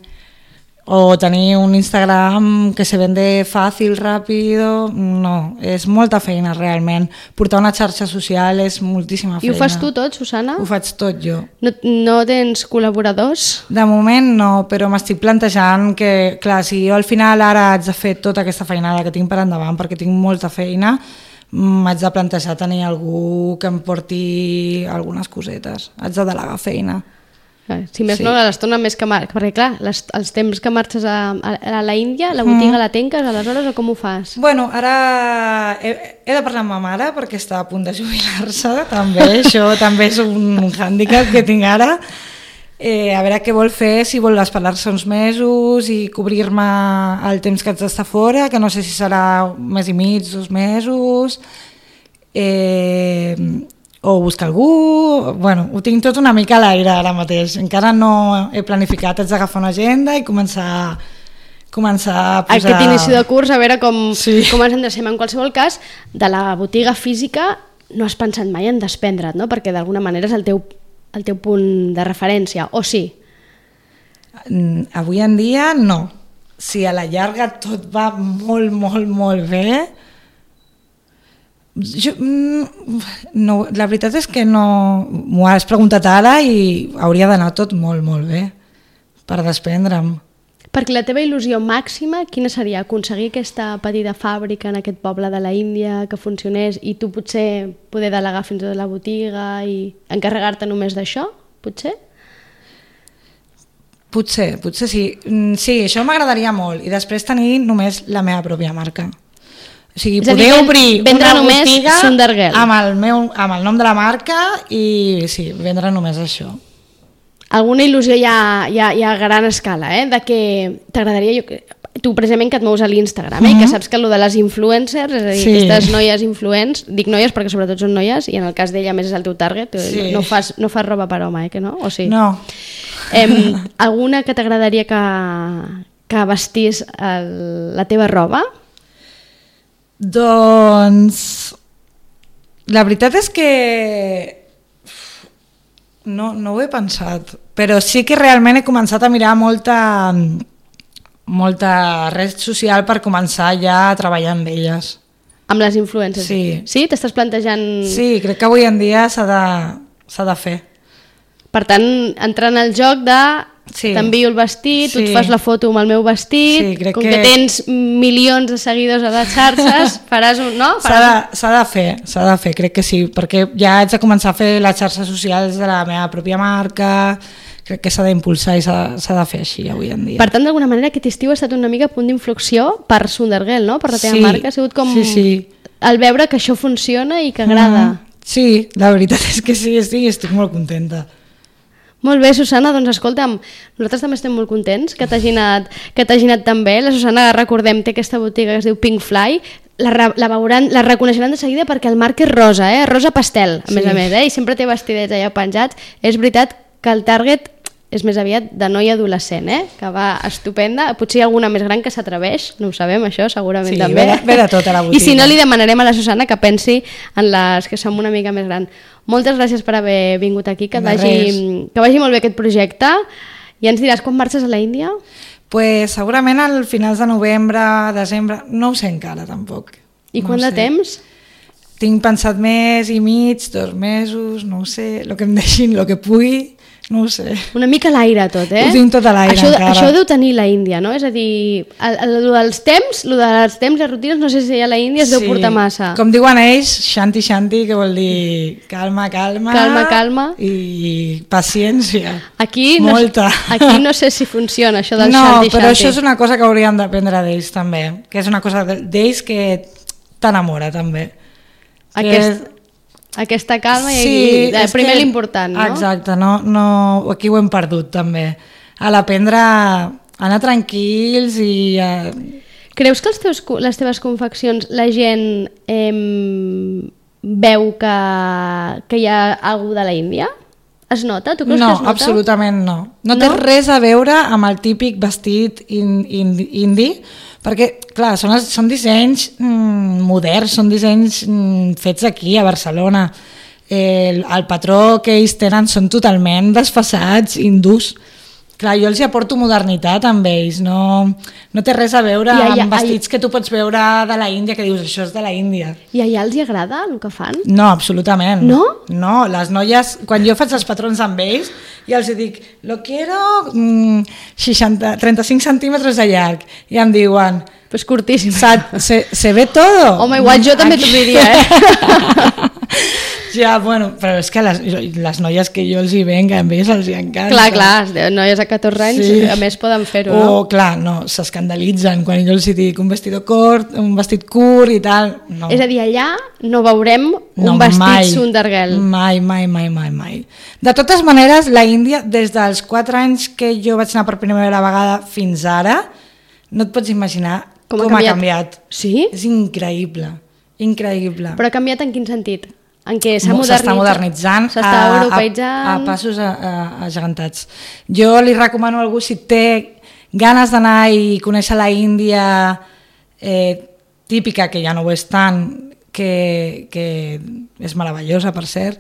Speaker 3: o tenir un Instagram que se vende fàcil, ràpido, no, és molta feina realment. Portar una xarxa social és moltíssima feina.
Speaker 2: I ho fas tu tot, Susana?
Speaker 3: Ho faig tot jo.
Speaker 2: No, no tens col·laboradors?
Speaker 3: De moment no, però m'estic plantejant que, clar, si jo al final ara haig de fer tota aquesta feinada que tinc per endavant, perquè tinc molta feina, m'haig de plantejar tenir algú que em porti algunes cosetes. Haig de delegar feina.
Speaker 2: Si més sí. no, l'estona més que marques, perquè clar, les, els temps que marxes a, a, a la Índia, la
Speaker 3: mm.
Speaker 2: botiga la tanques aleshores o com ho fas?
Speaker 3: Bueno, ara he, he de parlar amb ma mare perquè està a punt de jubilar-se, també, això també és un hàndicap que tinc ara. Eh, a veure què vol fer, si vol esperar-se uns mesos i cobrir-me el temps que haig d'estar fora, que no sé si serà un mes i mig, dos mesos... Eh... o buscar algú, bueno, ho tinc tot una mica a l'aire ara mateix, encara no he planificat, haig d'agafar una agenda i començar, començar a posar...
Speaker 2: Aquest inici de curs, a veure com,
Speaker 3: sí.
Speaker 2: com ens endrecem. En qualsevol cas, de la botiga física no has pensat mai en desprendre't, no? Perquè d'alguna manera és el teu, el teu punt de referència, o sí?
Speaker 3: Avui en dia no. Si a la llarga tot va molt, molt, molt bé... Jo, no, la veritat és que no m'ho has preguntat ara i hauria d'anar tot molt, molt bé per desprendre'm.
Speaker 2: Perquè la teva il·lusió màxima, quina seria? Aconseguir aquesta petita fàbrica en aquest poble de la Índia que funcionés i tu potser poder delegar fins a la botiga i encarregar-te només d'això, potser?
Speaker 3: Potser, potser sí. Sí, això m'agradaria molt i després tenir només la meva pròpia marca. O sigui,
Speaker 2: és
Speaker 3: poder
Speaker 2: dir,
Speaker 3: obrir
Speaker 2: una
Speaker 3: botiga
Speaker 2: amb
Speaker 3: el, meu, amb el nom de la marca i sí, vendre només això.
Speaker 2: Alguna il·lusió ja, ja, ja a gran escala, eh? De que t'agradaria... Jo, tu precisament que et mous a l'Instagram, eh? Mm-hmm. Que saps que allò de les influencers, és a dir, sí. Aquestes noies influents, dic noies perquè sobretot són noies, i en el cas d'ella més és el teu target, sí. no, fas, no fas roba per home, eh? Que no? O sí?
Speaker 3: No.
Speaker 2: Eh, alguna que t'agradaria que, que vestís el, la teva roba?
Speaker 3: Doncs la veritat és que no, no ho he pensat, però sí que realment he començat a mirar molta, molta red social per començar ja a treballar amb elles.
Speaker 2: Amb les influencers?
Speaker 3: Sí.
Speaker 2: Sí? T'estàs plantejant...
Speaker 3: Sí, crec que avui en dia s'ha de, s'ha de fer.
Speaker 2: Per tant, entrar en el joc de sí. T'envio el vestit, sí. Tu et fas la foto amb el meu vestit, sí, com que... que tens milions de seguidors a les xarxes, faràs un... No?
Speaker 3: S'ha de, s'ha de fer, s'ha de fer, crec que sí, perquè ja haig de començar a fer les xarxes socials de la meva pròpia marca, crec que s'ha d'impulsar i s'ha, s'ha de fer així avui en dia.
Speaker 2: Per tant, d'alguna manera, aquest estiu ha estat una mica punt d'inflexió per Sundergirl, no? Per la teva
Speaker 3: sí,
Speaker 2: marca, ha sigut com
Speaker 3: sí, sí.
Speaker 2: el veure que això funciona i que agrada. Mm,
Speaker 3: sí, la veritat és que sí, estic, estic molt contenta.
Speaker 2: Molt bé, Susana, doncs escolta'm, nosaltres també estem molt contents que t'hagi anat, que t'hagi anat tan bé. La Susana, recordem, té aquesta botiga que es diu Pink Fly, la, la, veuran, la reconeixeran de seguida perquè el marc és rosa, eh? Rosa pastel, a sí. més a més, eh? I sempre té vestidets allà penjats. És veritat que el target és més aviat de noia adolescent, eh? Que va estupenda, potser hi ha alguna més gran que s'atreveix, no ho sabem això, segurament sí, també.
Speaker 3: Sí, ve, ve de tot a la botiga.
Speaker 2: I si no, li demanarem a la Susana que pensi en les que som una mica més gran. Moltes gràcies per haver vingut aquí, que, vagi, que vagi molt bé aquest projecte. I ens diràs quan marxes a la Índia?
Speaker 3: Pues segurament al finals de novembre, desembre, no ho sé encara tampoc.
Speaker 2: I
Speaker 3: no
Speaker 2: quant de temps?
Speaker 3: Tinc pensat mes i mig, dos mesos, no ho sé, el que em deixin, el que pugui. No ho sé.
Speaker 2: Una mica l'aire tot, eh?
Speaker 3: Ho tinc tot a l'aire
Speaker 2: això,
Speaker 3: encara.
Speaker 2: Això deu tenir la Índia, no? És a dir, el, el, el dels temps, el dels temps, les rutines, no sé si a la Índia es sí. deu portar massa.
Speaker 3: Com diuen ells, shanti shanti, que vol dir calma, calma.
Speaker 2: Calma, calma.
Speaker 3: I paciència.
Speaker 2: Aquí
Speaker 3: molta.
Speaker 2: No, aquí no sé si funciona això del
Speaker 3: no,
Speaker 2: shanti shanti.
Speaker 3: No, però això és una cosa que hauríem d'aprendre d'ells també, que és una cosa d'ells que t'enamora també.
Speaker 2: Aquest... Que... Aquesta calma i
Speaker 3: sí,
Speaker 2: i primer que, l'important, no?
Speaker 3: Exacte, no, no, aquí ho hem perdut també. A l'aprendre a anar tranquils i... A...
Speaker 2: Creus que els teus, les teves confeccions la gent eh, veu que, que hi ha algú de la Índia? Es nota? Tu creus
Speaker 3: no,
Speaker 2: que es nota?
Speaker 3: Absolutament no. No, no té res a veure amb el típic vestit in, in, indi, perquè, clar, són, els, són dissenys mm, moderns, són dissenys mm, fets aquí, a Barcelona. El, el patró que ells tenen són totalment desfasats, hindús. Clar, jo els hi aporto modernitat amb ells, no, no té res a veure I allà, amb vestits allà... que tu pots veure de la Índia, que dius, això és de la Índia.
Speaker 2: I allà els hi agrada el que fan?
Speaker 3: No, absolutament.
Speaker 2: No?
Speaker 3: No, les noies, quan jo faig els patrons amb ells, i els dic, lo quiero mm, seixanta, trenta-cinc centímetres de llarg, i em diuen...
Speaker 2: Pues curtíssim.
Speaker 3: Se, se ve todo.
Speaker 2: Home, igual jo també t'ho diria, eh?
Speaker 3: Ja, bueno, però és que les, les noies que jo els hi venc, a ells els hi encanta.
Speaker 2: Clar, clar, noies de catorze anys, sí. A més poden fer-ho,
Speaker 3: o,
Speaker 2: no?
Speaker 3: O, clar, no, s'escandalitzen quan jo els hi dic un vestido curt, un vestit curt i tal. No.
Speaker 2: És a dir, allà no veurem un
Speaker 3: no,
Speaker 2: vestit
Speaker 3: mai,
Speaker 2: Sundergirl.
Speaker 3: Mai, mai, mai, mai, mai. De totes maneres, la Índia, des dels quatre anys que jo vaig anar per primera vegada fins ara, no et pots imaginar com, com ha canviat. Ha canviat.
Speaker 2: Sí?
Speaker 3: És increïble, increïble.
Speaker 2: Però ha canviat en quin sentit? En què s'ha
Speaker 3: modernitzat, modernitzant,
Speaker 2: s'està europeïtzant,
Speaker 3: a, a, a passos agegantats. Jo li recomano a algú, si té ganes d'anar i conèixer la Índia eh, típica, que ja no ho és tant, que, que és meravellosa, per cert,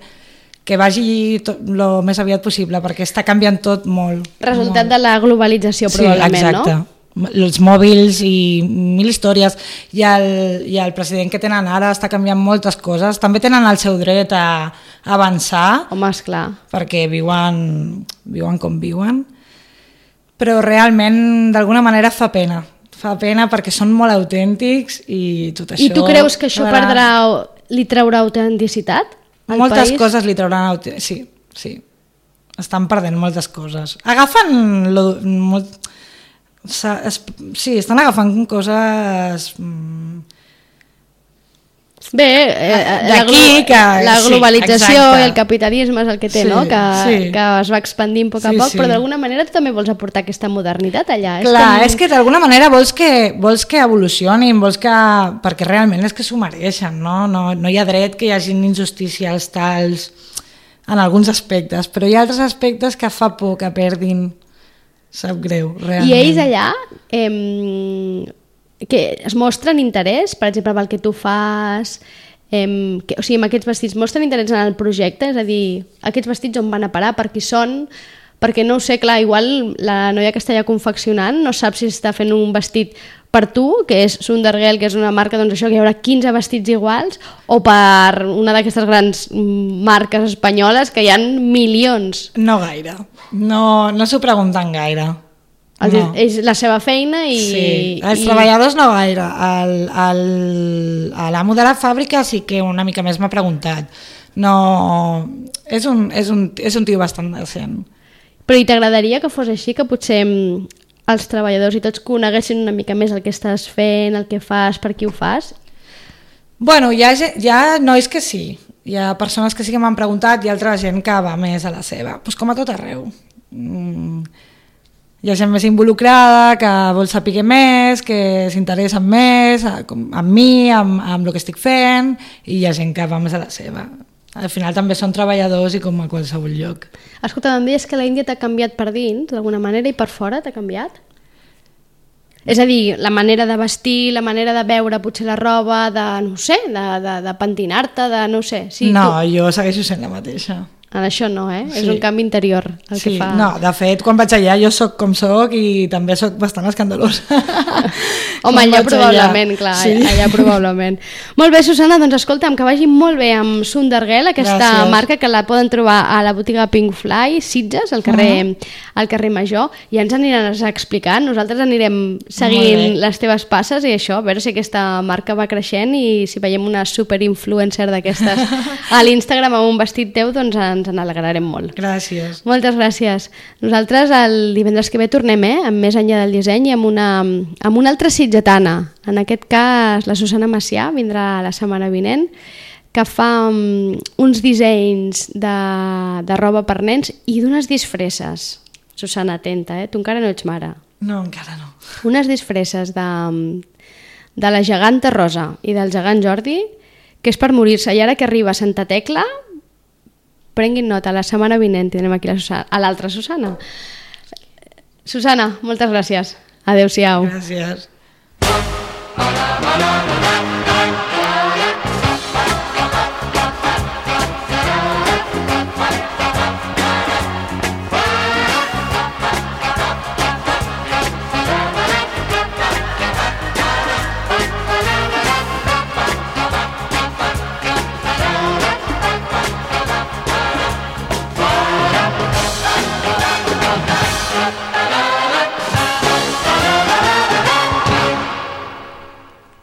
Speaker 3: que vagi el més aviat possible, perquè està canviant tot molt.
Speaker 2: Resultat
Speaker 3: molt.
Speaker 2: De la globalització, probablement,
Speaker 3: sí, exacte.
Speaker 2: No?
Speaker 3: Els mòbils i mil històries, i el, i el president que tenen ara està canviant moltes coses, també tenen el seu dret a avançar.
Speaker 2: Home, esclar.
Speaker 3: Perquè viuen, viuen com viuen, però realment d'alguna manera fa pena, fa pena perquè són molt autèntics i tot això...
Speaker 2: I tu creus que això perdrà, li traurà autenticitat al
Speaker 3: moltes
Speaker 2: país?
Speaker 3: Coses li trauran autenticitat, sí, sí, estan perdent moltes coses, agafen lo, molt... Sí, estan agafant coses...
Speaker 2: Bé, eh, la,
Speaker 3: d'aquí que...
Speaker 2: la globalització
Speaker 3: sí,
Speaker 2: i el capitalisme és el que té,
Speaker 3: sí,
Speaker 2: no? Que,
Speaker 3: sí.
Speaker 2: que es va expandint a poc a
Speaker 3: Sí,
Speaker 2: poc,
Speaker 3: sí.
Speaker 2: però d'alguna manera tu també vols aportar aquesta modernitat allà.
Speaker 3: Clar,
Speaker 2: és, com...
Speaker 3: és que d'alguna manera vols que, vols que evolucionin, vols que... perquè realment és que s'ho mereixen, no? No, no hi ha dret que hi hagin injustícies tals en alguns aspectes, però hi ha altres aspectes que fa por que perdin. Sap greu, realment.
Speaker 2: I ells allà eh, que es mostren interès, per exemple, pel que tu fas, eh, que, o sigui, amb aquests vestits, mostren interès en el projecte, és a dir, aquests vestits on van a parar, per qui són, perquè no ho sé, clar, igual la noia que està allà confeccionant no sap si està fent un vestit per tu, que és Sundergirl, que és una marca, doncs això, que hi haurà quinze vestits iguals, o per una d'aquestes grans marques espanyoles que hi ha milions.
Speaker 3: No gaire, no, no s'ho pregunten gaire.
Speaker 2: El,
Speaker 3: no.
Speaker 2: És la seva feina i...
Speaker 3: Sí, els
Speaker 2: i...
Speaker 3: treballadors no gaire. El, el, l'amo de la fàbrica sí que una mica més m'ha preguntat. No, és un, és un, és un tio bastant decent.
Speaker 2: Però i t'agradaria que fos així, que potser els treballadors i tots coneguessin una mica més el que estàs fent, el que fas, per qui ho fas?
Speaker 3: Bueno, hi ha, hi ha nois que sí. Hi ha persones que sí que m'han preguntat i altra gent que va més a la seva. Pues com a tot arreu. Mm. Hi ha gent més involucrada, que vol saber més, que s'interessa més amb mi, amb, amb el que estic fent, i hi ha gent que va més a la seva. Al final també són treballadors i com a qualsevol lloc.
Speaker 2: Escolta, em deies que la Índia t'ha canviat per dins, d'alguna manera, i per fora t'ha canviat? És a dir, la manera de vestir, la manera de veure potser la roba, de, no sé, de, de, de pentinar-te, de no sé. Sí,
Speaker 3: no,
Speaker 2: tu...
Speaker 3: jo segueixo sent la mateixa.
Speaker 2: En això no, eh?
Speaker 3: Sí.
Speaker 2: És un canvi interior el
Speaker 3: sí,
Speaker 2: que fa...
Speaker 3: No, de fet, quan vaig allà jo sóc com sóc i també sóc bastant escandalosa.
Speaker 2: Home, allà probablement, allà. clar, sí. allà probablement. Molt bé, Susana, doncs escolta'm, que vagi molt bé amb Sundergirl, aquesta Gràcies. marca que la poden trobar a la botiga Pink Fly, Sitges, al carrer, uh -huh. al carrer Major, i ens aniràs explicant, nosaltres anirem seguint les teves passes i això, a veure si aquesta marca va creixent i si veiem una superinfluencer d'aquestes a l'Instagram amb un vestit teu, doncs ens en alegrarem molt.
Speaker 3: Gràcies.
Speaker 2: Moltes gràcies. Nosaltres el divendres que ve tornem, eh, amb Més enllà del disseny i amb una, amb una altra sitgetana. En aquest cas, la Susana Macià vindrà la setmana vinent, que fa um, uns dissenys de, de roba per nens i d'unes disfresses. Susana, atenta, eh? Tu encara no ets mare.
Speaker 3: No, encara no.
Speaker 2: Unes disfresses de, de la geganta Rosa i del gegant Jordi, que és per morir-se. I ara que arriba Santa Tecla, prenguin nota, la setmana vinent tindrem aquí la Susana, a l'altra Susana. Susana, moltes gràcies. Adéu-siau.
Speaker 3: Gràcies.